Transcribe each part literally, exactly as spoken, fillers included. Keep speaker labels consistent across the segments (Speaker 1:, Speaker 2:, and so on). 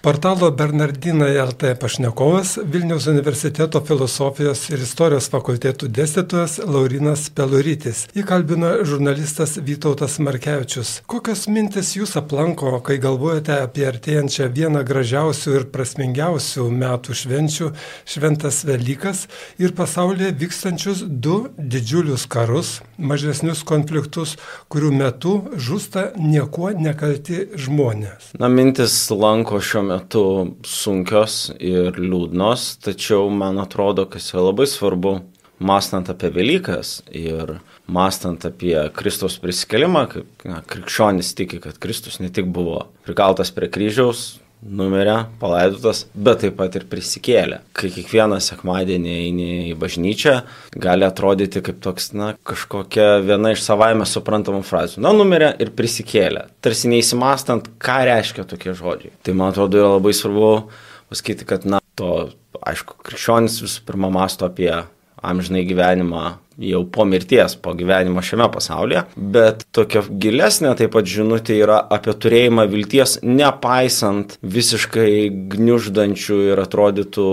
Speaker 1: Portalo Bernardinai L T pašnekovas Vilniaus universiteto filosofijos ir istorijos fakultetų dėstytojas Laurynas Peluritis. Jį kalbino žurnalistas Vytautas Markevičius. Kokios mintis jūs aplanko, kai galvojate apie artėjančią vieną gražiausių ir prasmingiausių metų švenčių, šventas Velykas, ir pasaulyje vykstančius du didžiulius karus, mažesnius konfliktus, kurių metu žūsta niekuo nekalti žmonės?
Speaker 2: Na, mintis lanko šiuo metu metu sunkios ir liūdnos, tačiau man atrodo, kas yra labai svarbu, mąstant apie Velykas ir mąstant apie Kristaus prisikėlimą, kaip na, krikščionys tiki, kad Kristus ne tik buvo prikaltas prie kryžiaus, numirė, palaidotas, bet taip pat ir prisikėlė. Kai kiekvieną sekmadienį eini į bažnyčią, gali atrodyti kaip toks, na, kažkokia viena iš savaime suprantamų frazių. Na, numirė ir prisikėlė. Tarsi neįsimastant, ką reiškia tokie žodžiai. Tai, man atrodo, yra labai svarbu pasakyti, kad, na, to, aišku, krikščionis visų pirma mąsto apie amžinai gyvenimą jau po mirties, po gyvenimo šiame pasaulyje, bet tokia gilesnė taip pat žinutė yra apie turėjimą vilties, nepaisant visiškai gniuždančių ir atrodytų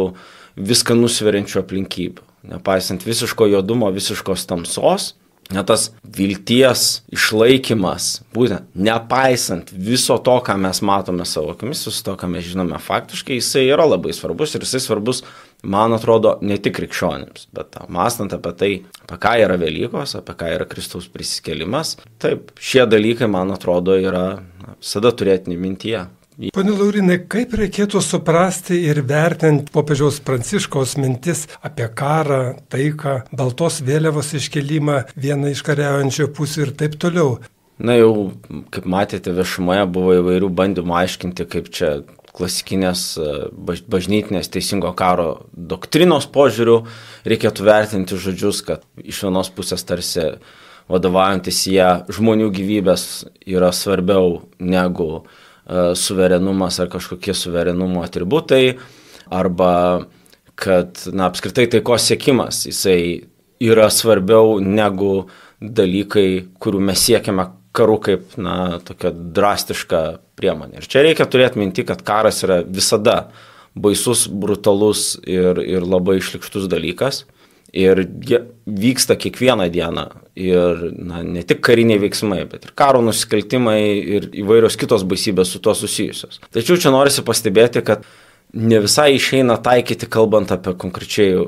Speaker 2: viską nusveriančių aplinkybių, nepaisant visiško juodumo, visiškos tamsos. Net tas vilties išlaikymas, būtent nepaisant viso to, ką mes matome savo akimis, viso to, ką mes žinome faktiškai, jisai yra labai svarbus ir jisai svarbus, man atrodo, ne tik krikščionims, bet mąstant apie tai, apie ką yra Velykos, apie ką yra Kristaus prisikėlimas. Taip, šie dalykai, man atrodo, yra visada turėtini mintyje.
Speaker 1: Pone Laurinai, kaip reikėtų suprasti ir vertinti popiežiaus Pranciškaus mintis apie karą, taiką, baltos vėliavos iškelimą, vieną iš kariaujančių pusių ir taip toliau?
Speaker 2: Na jau, kaip matėte, viešumoje buvo įvairių bandymų aiškinti, kaip čia klasikinės bažnytinės teisingo karo doktrinos požiūrių reikėtų vertinti žodžius, kad iš vienos pusės tarsi vadovaujantis jie žmonių gyvybės yra svarbiau negu suverenumas ar kažkokie suverenumo atributai, arba kad, na, apskritai taikos siekimas, jisai yra svarbiau negu dalykai, kurių mes siekiame karu kaip, na, tokia drastiška priemonė. Ir čia reikia turėti minti, kad karas yra visada baisus, brutalus ir, ir labai šlykštus dalykas. Ir vyksta kiekvieną dieną ir, na, ne tik kariniai veiksmai, bet ir karo nusikaltimai ir įvairios kitos baisybės su tuo susijusios. Tačiau čia norisi pastebėti, kad ne visai išeina taikyti, kalbant apie konkrečiai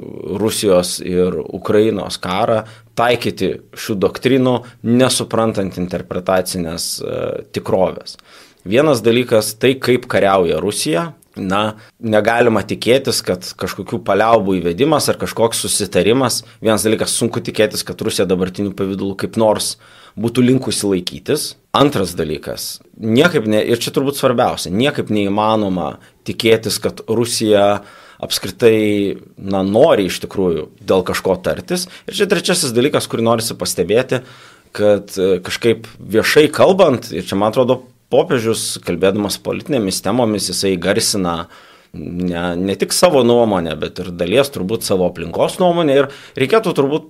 Speaker 2: Rusijos ir Ukrainos karą, taikyti šių doktrinų, nesuprantant interpretacinės e, tikrovės. Vienas dalykas, tai kaip kariauja Rusija. Na, negalima tikėtis, kad kažkokių paliaubų įvedimas ar kažkoks susitarimas, vienas dalykas, sunku tikėtis, kad Rusija dabartiniu pavidalu kaip nors būtų linkusi laikytis. Antras dalykas, niekaip ne, ir čia turbūt svarbiausia, niekaip neįmanoma tikėtis, kad Rusija apskritai, na, nori iš tikrųjų dėl kažko tartis. Ir čia trečiasis dalykas, kurį norisi pastebėti, kad kažkaip viešai kalbant, ir čia man atrodo, popiežius, kalbėdamas politinėmis temomis, jisai garsina ne, ne tik savo nuomonę, bet ir dalies turbūt savo aplinkos nuomonę. Ir reikėtų turbūt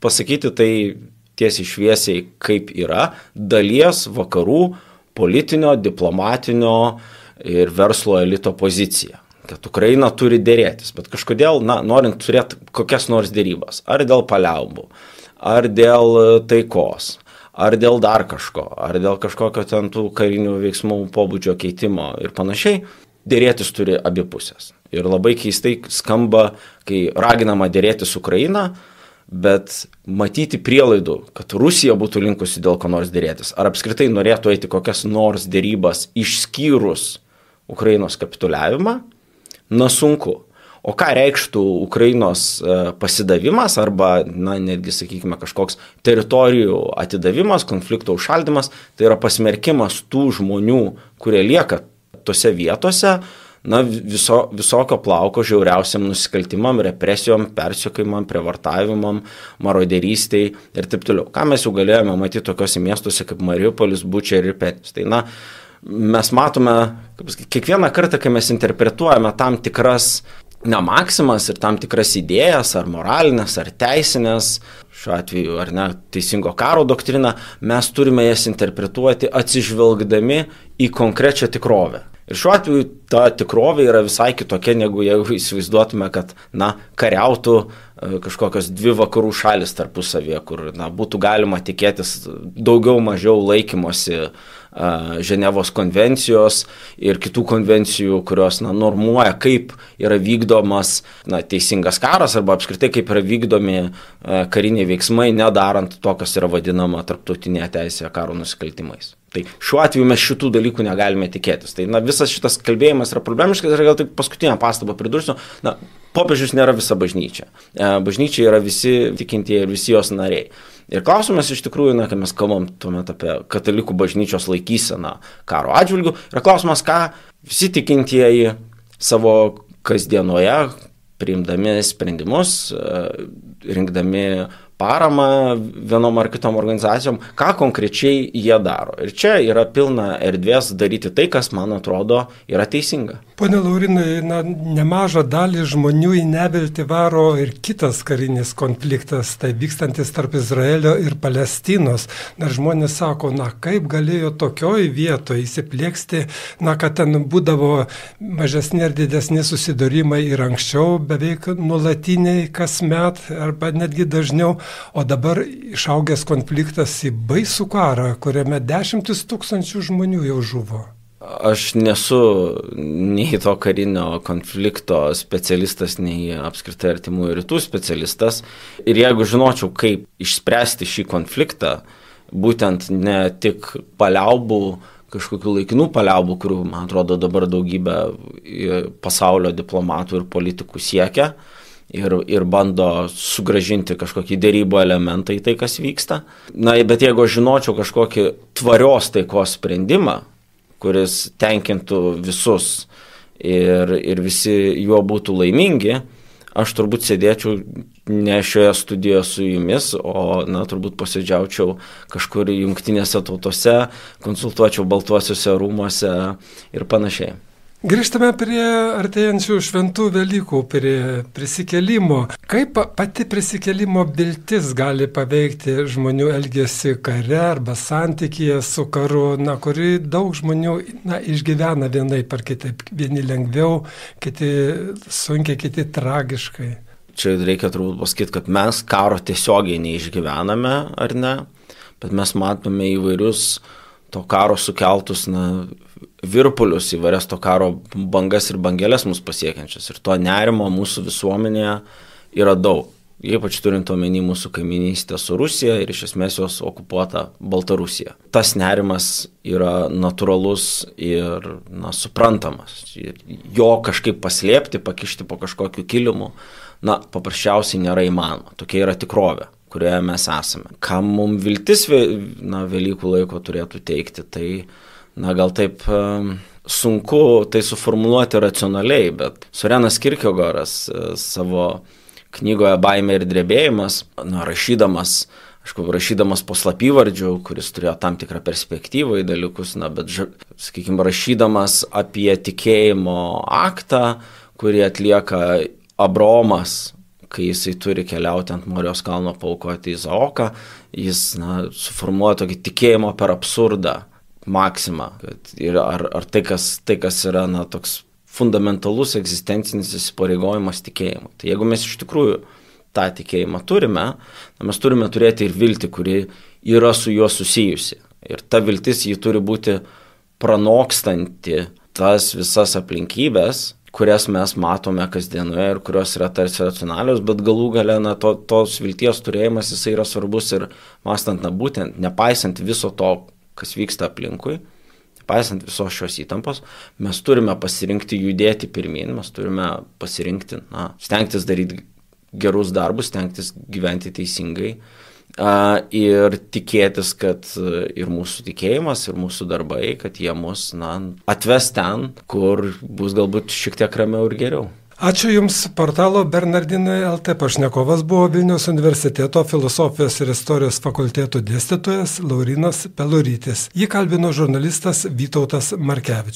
Speaker 2: pasakyti tai tiesiai šviesiai, kaip yra dalies vakarų politinio, diplomatinio ir verslo elito pozicija. Kad Ukraina turi dėrėtis, bet kažkodėl, na, norint turėti kokias nors dėrybas, ar dėl paliaubų, ar dėl taikos, ar dėl dar kažko, ar dėl kažkokio ten tų karinių veiksmų pobūdžio keitimo ir panašiai, dėrėtis turi abi pusės. Ir labai keistai skamba, kai raginama dėrėtis Ukraina, bet matyti prielaidų, kad Rusija būtų linkusi dėl ko nors dėrėtis, ar apskritai norėtų eiti kokias nors dėrybas išskyrus Ukrainos kapituliavimą, na sunku. O ką reikštų Ukrainos pasidavimas arba, na, netgi, sakykime, kažkoks teritorijų atidavimas, konflikto užšaldymas, tai yra pasmerkimas tų žmonių, kurie lieka tose vietose, na, viso, visokio plauko žiauriausiam nusikaltimam, represijom, persekiojimam, prievartavimam, maroderystei ir taip toliau. Ką mes jau galėjome matyti tokiuose miestuose kaip Mariupolis, Buča ir Irpenis. Tai, na, mes matome, kaip, kiekvieną kartą, kai mes interpretuojame tam tikras na, maksimas ir tam tikras idėjas, ar moralinės, ar teisinės, šiuo atveju, ar ne, teisingo karo doktriną, mes turime jas interpretuoti atsižvelgdami į konkrečią tikrovę. Ir šiuo atveju ta tikrovė yra visai kitokia, negu jeigu įsivaizduotume, kad, na, kariautų kažkokios dvi vakarų šalis tarpusavėje, kur, na, būtų galima tikėtis daugiau mažiau laikymosi Ženevos konvencijos ir kitų konvencijų, kurios, na, normuoja, kaip yra vykdomas, na, teisingas karas arba apskritai kaip yra vykdomi kariniai veiksmai, nedarant to, kas yra vadinama tarptautinėje teisėje karo nusikaltimais. Tai šiuo atveju mes šitų dalykų negalime tikėtis. Tai, na, visas šitas kalbėjimas yra problemiškas ir gal tik paskutinę pastabą pridursiu. Na, popiežius nėra visa bažnyčia. Bažnyčia yra visi tikintieji ir visi jos nariai. Ir klausimas iš tikrųjų, na, kai mes kalbam tuomet apie katalikų bažnyčios laikyseną karo atžvilgių, yra klausimas, ką visi tikintieji savo kasdienoje, priimdami sprendimus, rinkdami paramą vienom ar kitom organizacijom, ką konkrečiai jie daro. Ir čia yra pilna erdvės daryti tai, kas, man atrodo, yra teisinga.
Speaker 1: Pone Laurinai, na, nemažą dalį žmonių į neviltį varo ir kitas karinis konfliktas, tai vykstantis tarp Izraelio ir Palestinos. Na, žmonės sako, na, kaip galėjo tokioj vietoje įsiplieksti, na, kad ten būdavo mažesni ar didesni susidūrimai ir anksčiau, beveik nuolatiniai kasmet, arba netgi dažniau, o dabar išaugęs konfliktas į baisų karą, kuriame dešimtis tūkstančių žmonių jau žuvo.
Speaker 2: Aš nesu nei to karinio konflikto specialistas, nei apskritai artimųjų rytų specialistas. Ir jeigu žinočiau, kaip išspręsti šį konfliktą, būtent ne tik paliaubų, kažkokių laikinų paliaubų, kurių, man atrodo, dabar daugybė pasaulio diplomatų ir politikų siekia, ir, ir bando sugrąžinti kažkokį derybų elementą į tai, kas vyksta. Na, bet jeigu aš žinočiau kažkokį tvarios taikos sprendimą, kuris tenkintų visus ir, ir visi juo būtų laimingi, aš turbūt sėdėčiau ne šioje studijoje su jumis, o, na, turbūt posėdžiaučiau kažkur jungtinėse tautose, konsultuočiau Baltuosiuose rūmuose ir panašiai.
Speaker 1: Grįžtame prie artėjančių šventų Velykų, prie prisikėlimo. Kaip pati prisikėlimo viltis gali paveikti žmonių elgesį kare arba santykyje su karu, na, kuri daug žmonių, na, išgyvena vienaip ar kitaip, vieni lengviau, kiti sunkiai, kiti tragiškai.
Speaker 2: Čia reikia turbūt pasakyti, kad mes karo tiesiogiai neišgyvename, ar ne, bet mes matome įvairius to karo sukeltus, na, virpulius, įvairias to karo bangas ir bangelės mus pasiekiančias. Ir to nerimo mūsų visuomenėje yra daug. Ypač turint omeny mūsų kaiminystę su Rusija ir iš esmės jos okupuota Baltarusija. Tas nerimas yra natūralus ir, na, suprantamas. Jo kažkaip paslėpti, pakišti po kažkokiu kilimu, na, paprasčiausiai nėra įmanoma. Tokia yra tikrovė, kurioje mes esame. Kam mums viltis, na, Velykų laiko turėtų teikti, tai, na, gal taip um, sunku tai suformuluoti racionaliai, bet Sorenas Kierkegaardas uh, savo knygoje Baimė ir drebėjimas, na, rašydamas, aišku, rašydamas po slapyvardžiu, kuris turėjo tam tikrą perspektyvą į dalykus, na, bet, sakykime, rašydamas apie tikėjimo aktą, kurį atlieka Abraomas, kai jisai turi keliauti ant Morijos kalno paaukoti Izaoką, jis, na, suformuoja tokį tikėjimo per absurdą maksimą. Ir ar, ar tai, kas, tai, kas yra, na, toks fundamentalus egzistencinis įsipareigojimas tikėjimui. Tai jeigu mes iš tikrųjų tą tikėjimą turime, na, mes turime turėti ir viltį, kuri yra su juo susijusi. Ir ta viltis jį turi būti pranokstanti tas visas aplinkybės, kurias mes matome kasdienoje ir kurios yra tarsi racionalios, bet galų gale, na, to, tos vilties turėjimas, jisai yra svarbus ir mąstant, na, būtent, nepaisant viso to, kas vyksta aplinkui, nepaisant visos šios įtampos, mes turime pasirinkti judėti pirmin, mes turime pasirinkti, na, stengtis daryti gerus darbus, stengtis gyventi teisingai uh, ir tikėtis, kad ir mūsų tikėjimas, ir mūsų darbai, kad jie mus, na, atves ten, kur bus galbūt šiek tiek ramiau ir geriau.
Speaker 1: Ačiū Jums, portalo Bernardinai L T pašnekovas buvo Vilniaus universiteto filosofijos ir istorijos fakulteto dėstytojas Laurynas Pelurytis. Jį kalbino žurnalistas Vytautas Markevičius.